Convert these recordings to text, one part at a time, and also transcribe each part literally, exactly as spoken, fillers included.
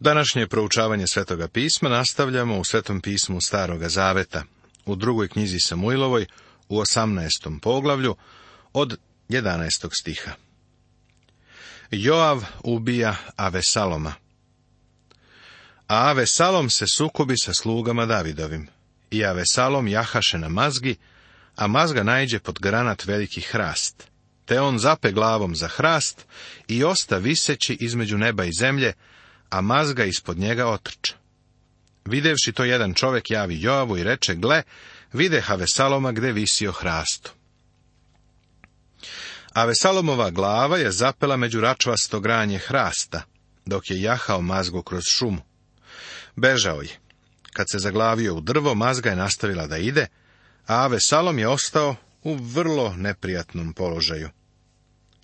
Današnje proučavanje Svetoga pisma nastavljamo u Svetom pismu Staroga zaveta, u drugoj knjizi Samuilovoj, u osamnaestom poglavlju, od jedanaestog stiha. Joav ubija Avesaloma. A Avesalom se sukobi sa slugama Davidovim, i Avesalom jahaše na mazgi, a mazga naiđe pod granat veliki hrast, te on zape glavom za hrast i osta viseći između neba i zemlje, a mazga ispod njega otrča. Videvši to, jedan čovjek javi Joavu i reče: gle, videh Avesaloma gde visi o hrastu. Avesalomova glava je zapela među račvasto granje hrasta, dok je jahao mazgu kroz šumu. Bežao je. Kad se zaglavio u drvo, mazga je nastavila da ide, a Avesalom je ostao u vrlo neprijatnom položaju.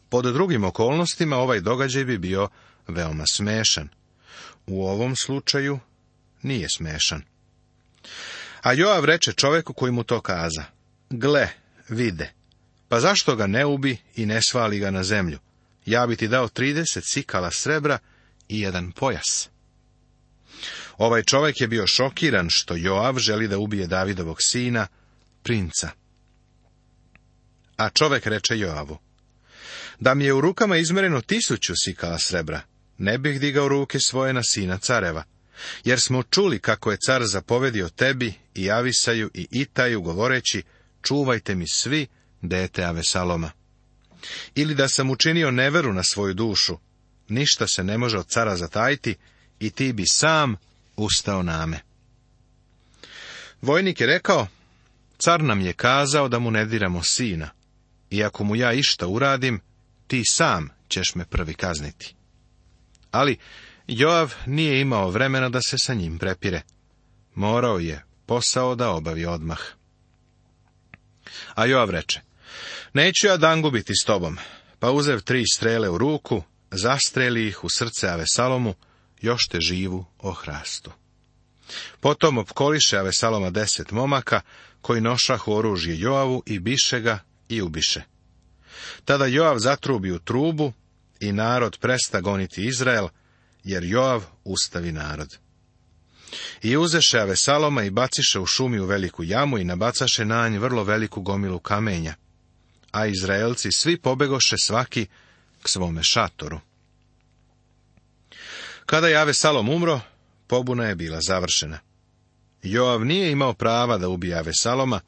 Pod drugim okolnostima ovaj događaj bi bio veoma smešan. U ovom slučaju nije smešan. A Joav reče čoveku koji mu to kaza: gle, vide, pa zašto ga ne ubi i ne svali ga na zemlju? Ja bi ti dao trideset sikala srebra i jedan pojas. Ovaj čovjek je bio šokiran što Joav želi da ubije Davidovog sina, princa. A čovjek reče Joavu: da mi je u rukama izmereno tisuću sikala srebra, ne bih digao ruke svoje na sina careva, jer smo čuli kako je car zapovedio tebi i Avisaju i Itaju, govoreći: čuvajte mi svi dete Avesaloma. Ili da sam učinio neveru na svoju dušu, ništa se ne može od cara zatajiti, i ti bi sam ustao name. Vojnik je rekao: car nam je kazao da mu ne diramo sina, i ako mu ja išta uradim, ti sam ćeš me prvi kazniti. Ali Joav nije imao vremena da se sa njim prepire. Morao je posao da obavi odmah. A Joav reče: neću ja dangubiti s tobom, pa uzev tri strele u ruku, zastreli ih u srce Avesalomu, još te živu o hrastu. Potom opkoliše Avesaloma deset momaka, koji nošahu oružje Joavu, i biše ga i ubiše. Tada Joav zatrubi u trubu i narod presta goniti Izrael, jer Joav ustavi narod. I uzeše Avesaloma i baciše u šumi u veliku jamu i nabacaše na nj vrlo veliku gomilu kamenja, a Izraelci svi pobegoše svaki k svome šatoru. Kada je Avesalom umro, pobuna je bila završena. Joav nije imao prava da ubije Avesaloma,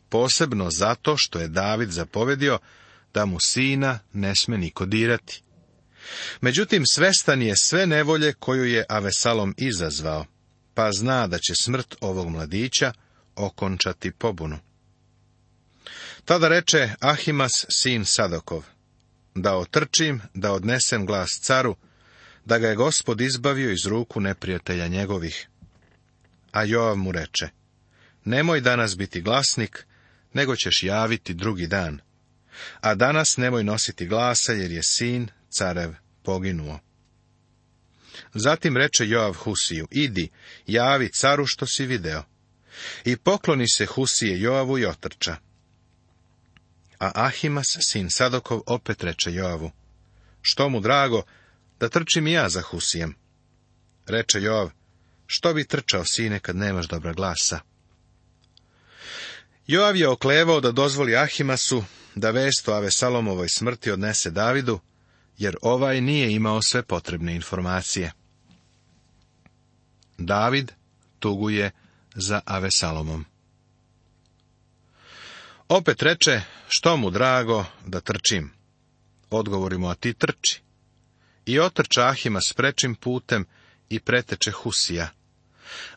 posebno zato što je David zapovedio da mu sina ne sme niko dirati. Međutim, svestan je sve nevolje koju je Avesalom izazvao, pa zna da će smrt ovog mladića okončati pobunu. Tada reče Ahimas, sin Sadokov: da otrčim, da odnesem glas caru, da ga je Gospod izbavio iz ruku neprijatelja njegovih. A Joav mu reče: nemoj danas biti glasnik, nego ćeš javiti drugi dan. A danas nemoj nositi glasa, jer je sin carev poginuo. Zatim reče Joav Husiju: idi, javi caru što si video. I pokloni se Husije Joavu i otrča. A Ahimas, sin Sadokov, opet reče Joavu: što mu drago, da trčim i ja za Husijem. Reče Joav: što bi trčao, sine, kad nemaš dobra glasa? Joav je oklevao da dozvoli Ahimasu da vest o Avesalomovoj smrti odnese Davidu, jer ovaj nije imao sve potrebne informacije. David tuguje za Avesalomom. Opet reče: što mu drago, da trčim? Odgovori mu: a ti trči. I otrča Ahimas prečim putem i preteče Husija.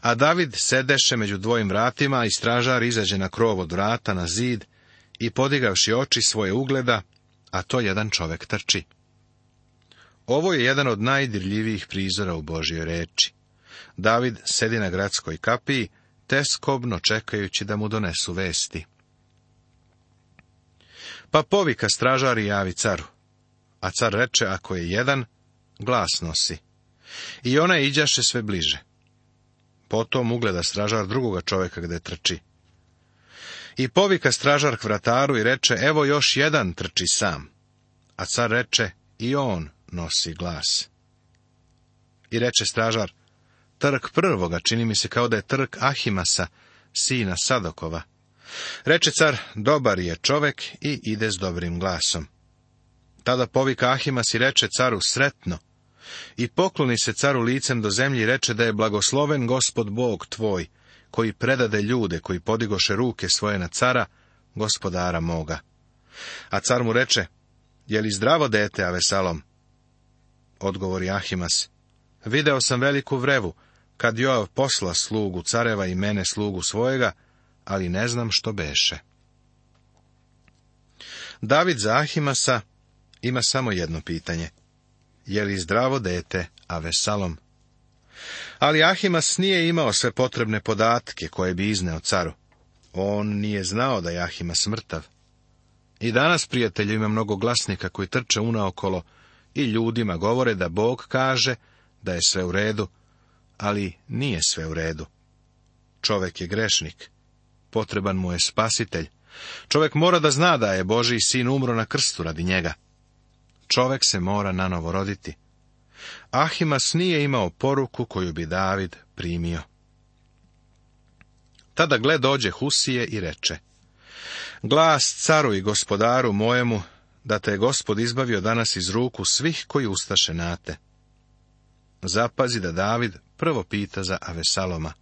A David sedeše među dvojim vratima, i stražar izađe na krov od vrata na zid i podigavši oči svoje ugleda, a to jedan čovek trči. Ovo je jedan od najdirljivijih prizora u Božjoj reči. David sedi na gradskoj kapiji, teskobno čekajući da mu donesu vesti. Pa povika stražar i javi caru. A car reče: ako je jedan, glas nosi. I ona iđaše sve bliže. Potom ugleda stražar drugoga čovjeka gde trči. I povika stražar k vrataru i reče: evo još jedan trči sam. A car reče: i on nosi glas. I reče stražar: Trk prvoga, čini mi se kao da je trk Ahimasa, sina Sadokova. Reče car: Dobar je čovek, i ide s dobrim glasom. Tada povika Ahimas i reče caru: Sretno. I pokloni se caru licem do zemlji i reče da je blagosloven Gospod Bog tvoj, koji predade ljude koji podigoše ruke svoje na cara, gospodara moga. A car mu reče: Je li zdravo dete, Avesalom? Odgovori Ahimas: Video sam veliku vrevu, kad Joav posla slugu careva i mene slugu svojega, ali ne znam što beše. David za Ahimasa ima samo jedno pitanje: Je li zdravo dete, Avesalom? Ali Ahimas nije imao sve potrebne podatke koje bi izneo caru. On nije znao da je Ahimas mrtav. I danas, prijatelju, ima mnogo glasnika koji trče unaokolo i ljudima govore da Bog kaže da je sve u redu, ali nije sve u redu. Čovek je grešnik. Potreban mu je spasitelj. Čovek mora da zna da je Božji sin umro na krstu radi njega. Čovek se mora nanovo roditi. Ahimas nije imao poruku koju bi David primio. Tada gle dođe Husije i reče: Glas caru i gospodaru mojemu, da te je Gospod izbavio danas iz ruku svih koji ustaše na te. Zapazi da David prvo pita za Avesaloma.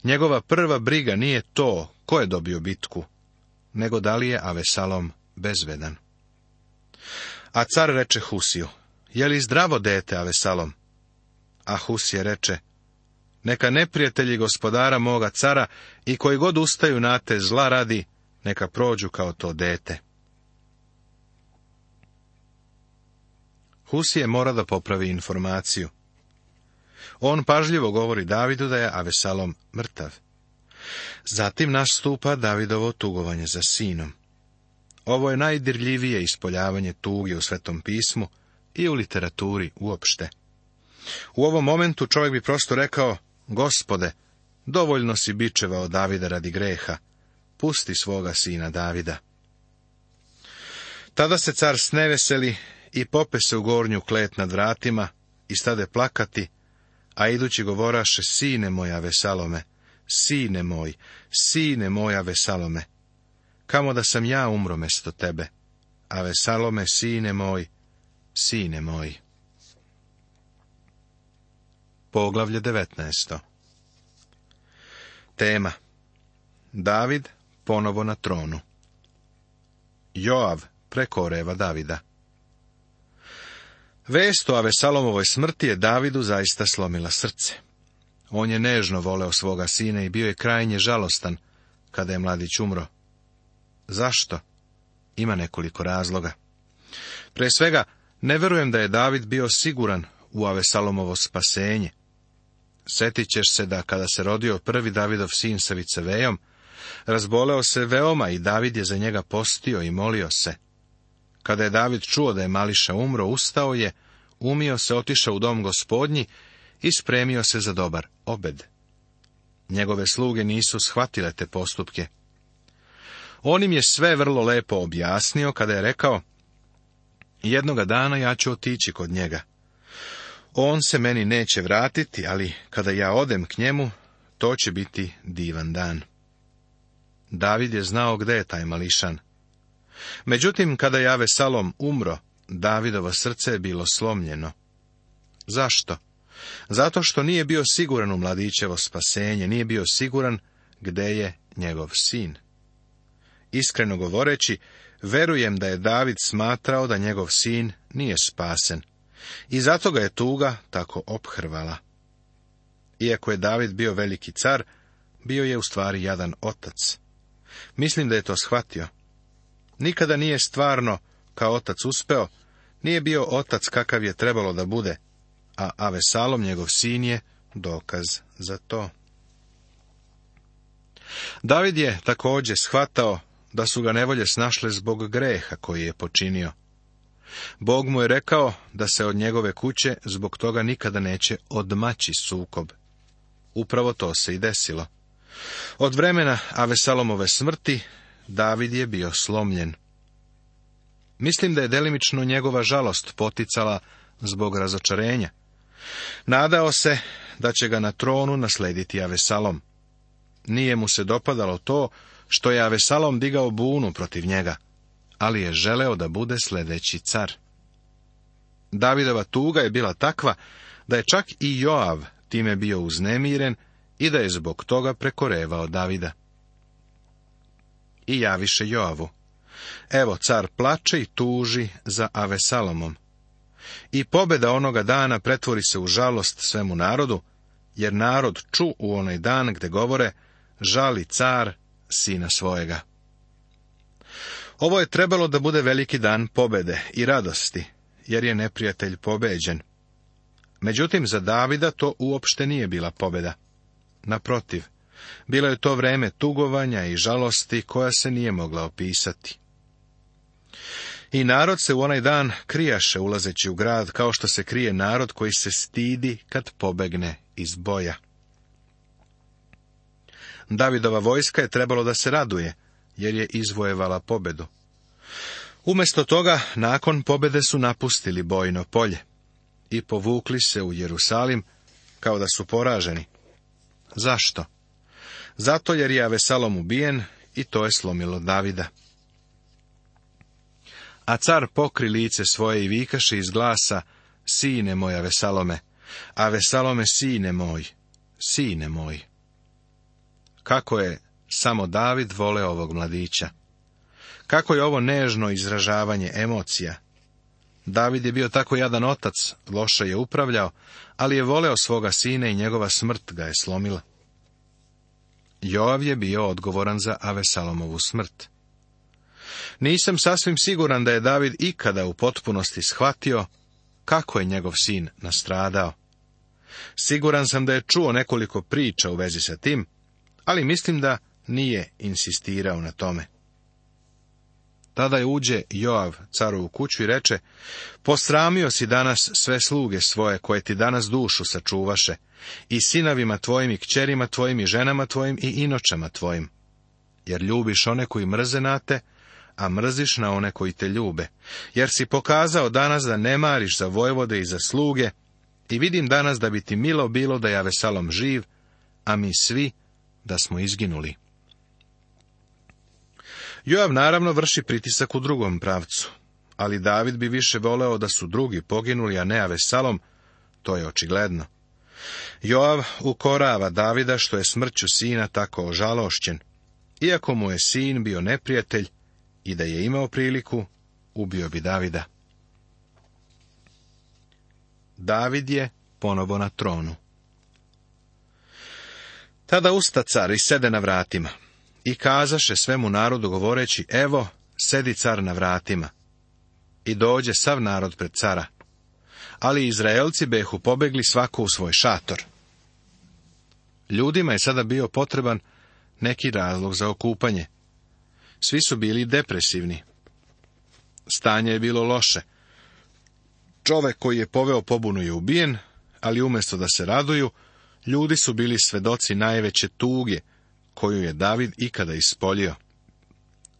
Njegova prva briga nije to ko je dobio bitku, nego da li je Avesalom bezvedan. A car reče Husiju: Je li zdravo dete, Avesalom? A Husije reče: Neka neprijatelji gospodara moga cara i koji god ustaju na te zla radi, neka prođu kao to dete. Husije mora da popravi informaciju. On pažljivo govori Davidu da je Avesalom mrtav. Zatim nastupa Davidovo tugovanje za sinom. Ovo je najdirljivije ispoljavanje tuge u Svetom pismu i u literaturi uopšte. U ovom momentu čovjek bi prosto rekao: Gospode, dovoljno si bičevao Davida radi greha, pusti svoga sina Davida. Tada se car sneveseli i pope se u gornju klet nad vratima i stade plakati, a idući govoraše: Sine moj Avesalome, sine moj, sine moj Avesalome, kamo da sam ja umro mesto tebe, Avesalome, sine moj, sine moj. Poglavlje devetnaesto. Tema: David ponovo na tronu. Joav prekoreva Davida. Vest o Avesalomovoj smrti je Davidu zaista slomila srce. On je nežno voleo svoga sina i bio je krajnje žalostan kada je mladić umro. Zašto? Ima nekoliko razloga. Pre svega, ne verujem da je David bio siguran u Avesalomovo spasenje. Sjetit ćeš se da kada se rodio prvi Davidov sin sa vicevejom, razboleo se veoma i David je za njega postio i molio se. Kada je David čuo da je mališa umro, ustao je, umio se, otišao u dom gospodnji i spremio se za dobar obed. Njegove sluge nisu shvatile te postupke. On im je sve vrlo lepo objasnio kada je rekao: Jednoga dana ja ću otići kod njega. On se meni neće vratiti, ali kada ja odem k njemu, to će biti divan dan. David je znao gde je taj mališan. Međutim, kada je Avesalom umro, Davidovo srce je bilo slomljeno. Zašto? Zato što nije bio siguran u mladićevo spasenje, nije bio siguran gde je njegov sin. Iskreno govoreći, verujem da je David smatrao da njegov sin nije spasen, i zato ga je tuga tako ophrvala. Iako je David bio veliki car, bio je u stvari jadan otac. Mislim da je to shvatio. Nikada nije stvarno kao otac uspeo, nije bio otac kakav je trebalo da bude, a Avesalom, njegov sin, je dokaz za to. David je također shvatao da su ga nevolje snašle zbog greha koji je počinio. Bog mu je rekao da se od njegove kuće zbog toga nikada neće odmaći sukob. Upravo to se i desilo. Od vremena Avesalomove smrti David je bio slomljen. Mislim da je delimično njegova žalost poticala zbog razočarenja. Nadao se da će ga na tronu naslediti Avesalom. Nije mu se dopadalo to što je Avesalom digao bunu protiv njega, ali je želeo da bude sljedeći car. Davidova tuga je bila takva da je čak i Joav time bio uznemiren i da je zbog toga prekorevao Davida. I javiše Joavu: evo, car plače i tuži za Avesalomom. I pobjeda onoga dana pretvori se u žalost svemu narodu, jer narod ču u onaj dan gde govore: žali car sina svojega. Ovo je trebalo da bude veliki dan pobjede i radosti, jer je neprijatelj pobeđen. Međutim, za Davida to uopšte nije bila pobjeda. Naprotiv, bilo je to vreme tugovanja i žalosti koja se nije mogla opisati. I narod se u onaj dan krijaše ulazeći u grad, kao što se krije narod koji se stidi kad pobegne iz boja. Davidova vojska je trebalo da se raduje, jer je izvojevala pobedu. Umjesto toga, nakon pobjede su napustili bojno polje i povukli se u Jerusalim kao da su poraženi. Zašto? Zato jer je Avesalom ubijen i to je slomilo Davida. A car pokri lice svoje i vikaše iz glasa: sine moj Avesalome, Avesalome sine moj, sine moj. Kako je samo David voleo ovog mladića. Kako je ovo nežno izražavanje emocija. David je bio tako jadan otac, loše je upravljao, ali je voleo svoga sina i njegova smrt ga je slomila. Joav je bio odgovoran za Avesalomovu smrt. Nisam sasvim siguran da je David ikada u potpunosti shvatio kako je njegov sin nastradao. Siguran sam da je čuo nekoliko priča u vezi sa tim, ali mislim da nije insistirao na tome. Tada je uđe Joav caru u kuću i reče: posramio si danas sve sluge svoje koje ti danas dušu sačuvaše, i sinovima tvojim i kćerima tvojim i ženama tvojim i inočama tvojim, jer ljubiš one koji mrze na te, a mrziš na one koji te ljube, jer si pokazao danas da ne mariš za vojvode i za sluge, i vidim danas da bi ti milo bilo da je Avesalom živ, a mi svi da smo izginuli. Joav naravno vrši pritisak u drugom pravcu, ali David bi više voleo da su drugi poginuli, a ne Avesalom, to je očigledno. Joav ukorava Davida što je smrću sina tako ožalošćen, iako mu je sin bio neprijatelj i da je imao priliku, ubio bi Davida. David je ponovo na tronu. Tada usta car i sede na vratima i kazaše svemu narodu govoreći: evo, sedi car na vratima. I dođe sav narod pred cara, ali Izraelci behu pobegli svako u svoj šator. Ljudima je sada bio potreban neki razlog za okupanje. Svi su bili depresivni. Stanje je bilo loše. Čovek koji je poveo pobunu je ubijen, ali umjesto da se raduju, ljudi su bili svedoci najveće tuge koju je David ikada ispolio.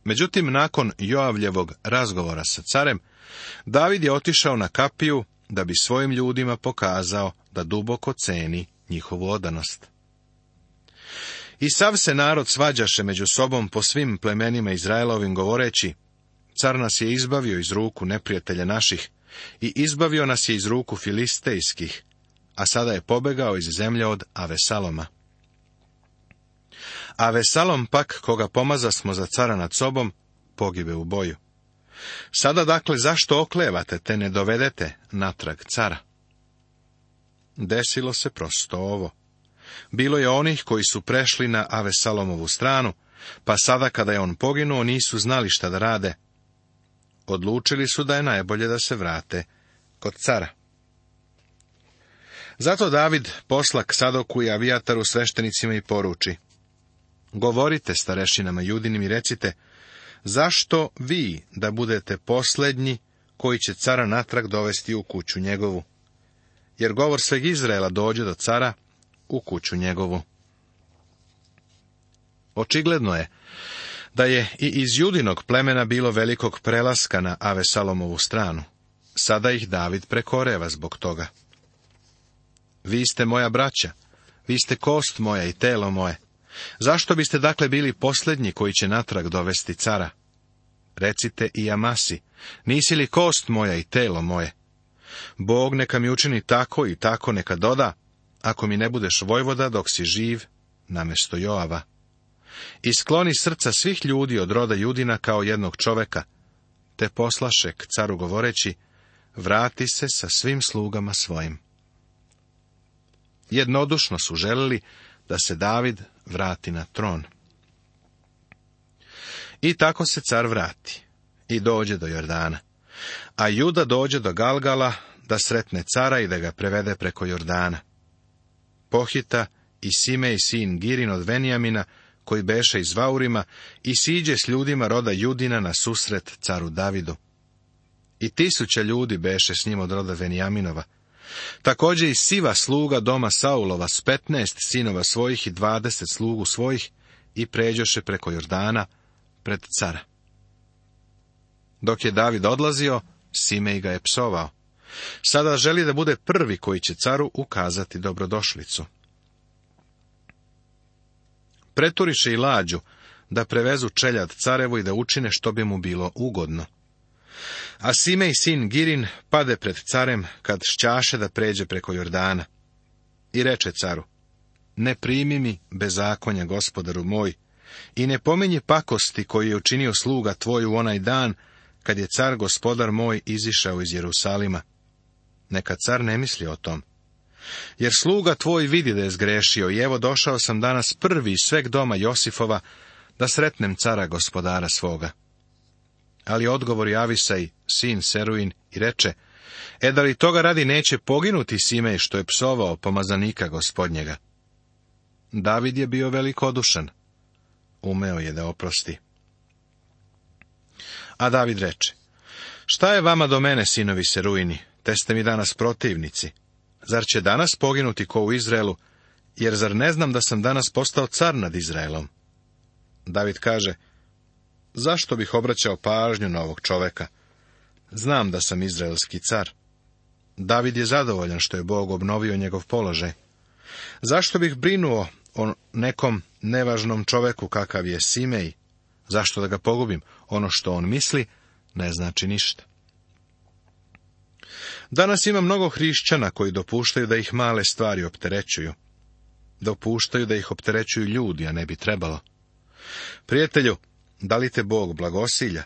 Međutim, nakon Joavljevog razgovora sa carem, David je otišao na kapiju da bi svojim ljudima pokazao da duboko ceni njihovu odanost. I sav se narod svađaše među sobom po svim plemenima Izraelovim govoreći: car nas je izbavio iz ruku neprijatelja naših i izbavio nas je iz ruku filistejskih, a sada je pobegao iz zemlje od Avesaloma. Avesalom pak, koga pomazasmo za cara nad sobom, pogibe u boju. Sada dakle zašto oklevate te ne dovedete natrag cara? Desilo se prosto ovo. Bilo je onih koji su prešli na Avesalomovu stranu, pa sada kada je on poginuo nisu znali šta da rade. Odlučili su da je najbolje da se vrate kod cara. Zato David posla k Sadoku i Avijataru sveštenicima i poruči: govorite starešinama Judinim i recite: zašto vi da budete posljednji koji će cara natrag dovesti u kuću njegovu? Jer govor sveg Izraela dođe do cara u kuću njegovu. Očigledno je da je i iz Judinog plemena bilo velikog prelaska na Avesalomovu stranu. Sada ih David prekoreva zbog toga. Vi ste moja braća, vi ste kost moja i telo moje. Zašto biste dakle bili posljednji koji će natrag dovesti cara? Recite i Amasi, nisi li kost moja i telo moje? Bog neka mi učini tako i tako neka doda, ako mi ne budeš vojvoda dok si živ, namjesto Joava. I skloni srca svih ljudi od roda Judina kao jednog čoveka, te poslaše k caru govoreći, vrati se sa svim slugama svojim. Jednodušno su želili da se David vrati na tron. I tako se car vrati i dođe do Jordana, a Juda dođe do Galgala da sretne cara i da ga prevede preko Jordana. Pohita i Simej sin Girin od Venjamina, koji beše iz Vaurima, i siđe s ljudima roda Judina na susret caru Davidu. I tisuća ljudi beše s njim od roda Venjaminova. Također i Siva sluga doma Saulova s petnaest sinova svojih i dvadeset slugu svojih i pređoše preko Jordana pred cara. Dok je David odlazio, Simej ga je psovao. Sada želi da bude prvi koji će caru ukazati dobrodošlicu. Preturiše i lađu da prevezu čeljad carevu i da učine što bi mu bilo ugodno. A Simej sin Girin pade pred carem kad šćaše da pređe preko Jordana. I reče caru, ne primi mi bezakonja, gospodaru moj, i ne pominji pakosti koju je učinio sluga tvoj u onaj dan, kad je car gospodar moj izišao iz Jerusalima. Neka car ne misli o tom. Jer sluga tvoj vidi da je zgrešio i evo došao sam danas prvi iz sveg doma Josifova da sretnem cara gospodara svoga. Ali odgovori Avisaj, sin Seruin, i reče, e da li toga radi neće poginuti Simej što je psovao pomazanika gospodnjega? David je bio velikodušan. Umeo je da oprosti. A David reče, šta je vama do mene, sinovi Seruini, te ste mi danas protivnici? Zar će danas poginuti ko u Izraelu, jer zar ne znam da sam danas postao car nad Izraelom? David kaže, zašto bih obraćao pažnju na ovog čoveka? Znam da sam izraelski car. David je zadovoljan što je Bog obnovio njegov položaj. Zašto bih brinuo o nekom nevažnom čoveku kakav je Simej? Zašto da ga pogubim? Ono što on misli ne znači ništa. Danas ima mnogo hrišćana koji dopuštaju da ih male stvari opterećuju. Dopuštaju da ih opterećuju ljudi, a ne bi trebalo. Prijatelju, da li te Bog blagosilja?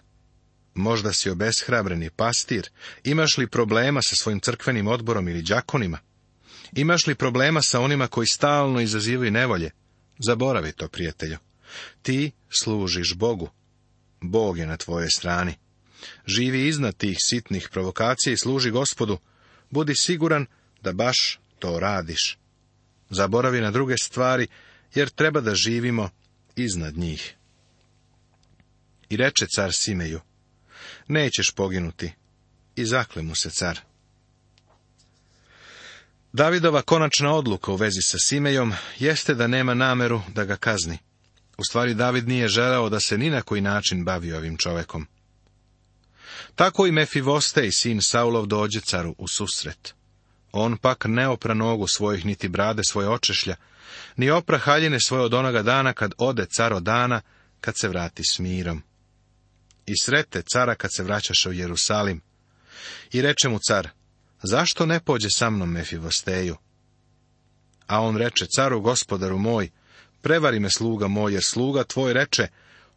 Možda si obeshrabreni pastir, imaš li problema sa svojim crkvenim odborom ili đakonima? Imaš li problema sa onima koji stalno izazivaju nevolje? Zaboravi to, prijatelju. Ti služiš Bogu. Bog je na tvojoj strani. Živi iznad tih sitnih provokacija i služi Gospodu. Budi siguran da baš to radiš. Zaboravi na druge stvari, jer treba da živimo iznad njih. I reče car Simeju, nećeš poginuti. I zakle mu se car. Davidova konačna odluka u vezi sa Simejom jeste da nema nameru da ga kazni. U stvari, David nije želeo da se ni na koji način bavi ovim čovekom. Tako i Mefivostej, sin Saulov, dođe caru u susret. On pak ne opra nogu svojih, niti brade svoje očešlja, ni opra haljine svoje od onoga dana kad ode car od dana, kad se vrati s mirom. I srete cara kad se vraćaše u Jerusalim. I reče mu car, zašto ne pođe sa mnom Mefivosteju? A on reče caru, gospodaru moj, prevari me sluga moj, jer sluga tvoj reče,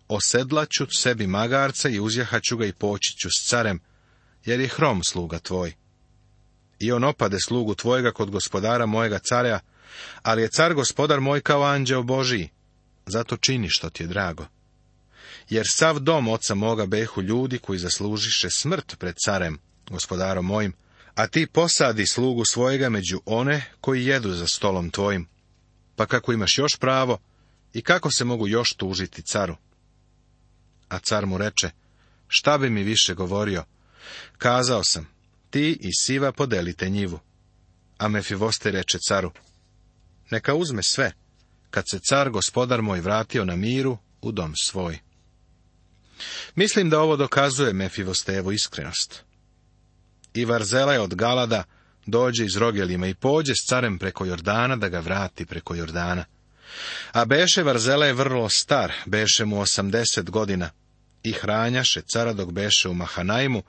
osedlaću sebi magarca i uzjahaću ga i poći ću s carem, jer je hrom sluga tvoj. I on opade slugu tvojega kod gospodara mojega carja, ali je car gospodar moj kao anđeo Božiji, zato čini što ti je drago. Jer sav dom oca moga behu ljudi koji zaslužiše smrt pred carem, gospodarom mojim, a ti posadi slugu svojega među one koji jedu za stolom tvojim. Pa kako imaš još pravo i kako se mogu još tužiti caru? A car mu reče, šta bi mi više govorio? Kazao sam, ti i Siva podelite njivu. A Mefivostej reče caru, neka uzme sve, kad se car gospodar moj vratio na miru u dom svoj. Mislim da ovo dokazuje Mefivostejevu iskrenost. I Varzela je od Galada dođe iz Rogelima i pođe s carem preko Jordana da ga vrati preko Jordana. A beše Varzele vrlo star, beše mu osamdeset godina, i hranjaše cara dok beše u Mahanaimu,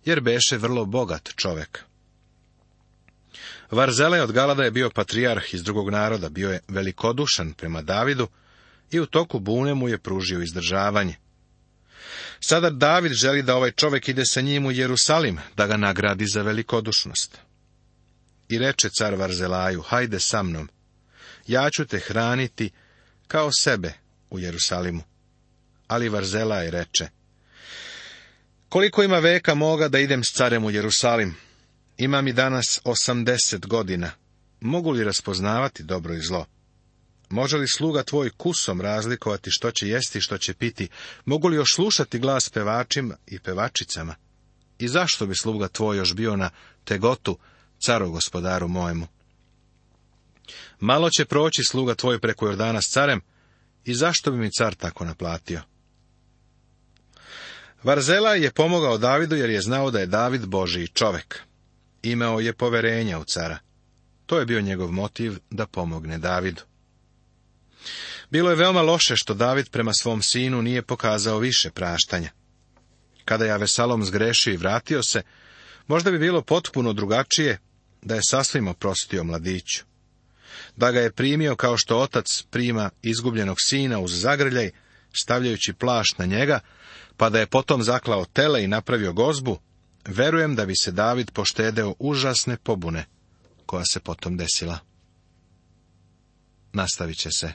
jer beše vrlo bogat čovek. Varzele od Galada je bio patrijarh iz drugog naroda, bio je velikodušan prema Davidu i u toku bune mu je pružio izdržavanje. Sada David želi da ovaj čovek ide sa njim u Jerusalim, da ga nagradi za velikodušnost. I reče car Varzelaju, hajde sa mnom, ja ću te hraniti kao sebe u Jerusalimu. Ali Varzelaj reče, koliko ima veka moga da idem s carem u Jerusalim? Imam i danas osamdeset godina. Mogu li raspoznavati dobro i zlo? Može li sluga tvoj kusom razlikovati što će jesti i što će piti? Mogu li još slušati glas pevačima i pevačicama? I zašto bi sluga tvoj još bio na tegotu, caru gospodaru mojemu? Malo će proći sluga tvoj preko Jordana s carem, i zašto bi mi car tako naplatio? Varzelaj je pomogao Davidu jer je znao da je David Božiji čovek. Imao je poverenja u cara. To je bio njegov motiv da pomogne Davidu. Bilo je veoma loše što David prema svom sinu nije pokazao više praštanja. Kada je Avesalom zgrešio i vratio se, možda bi bilo potpuno drugačije da je sasvim oprostio mladiću. Da ga je primio kao što otac prima izgubljenog sina uz zagrljaj, stavljajući plašt na njega, pa da je potom zaklao tele i napravio gozbu, verujem da bi se David poštedeo užasne pobune koja se potom desila. Nastavit će se.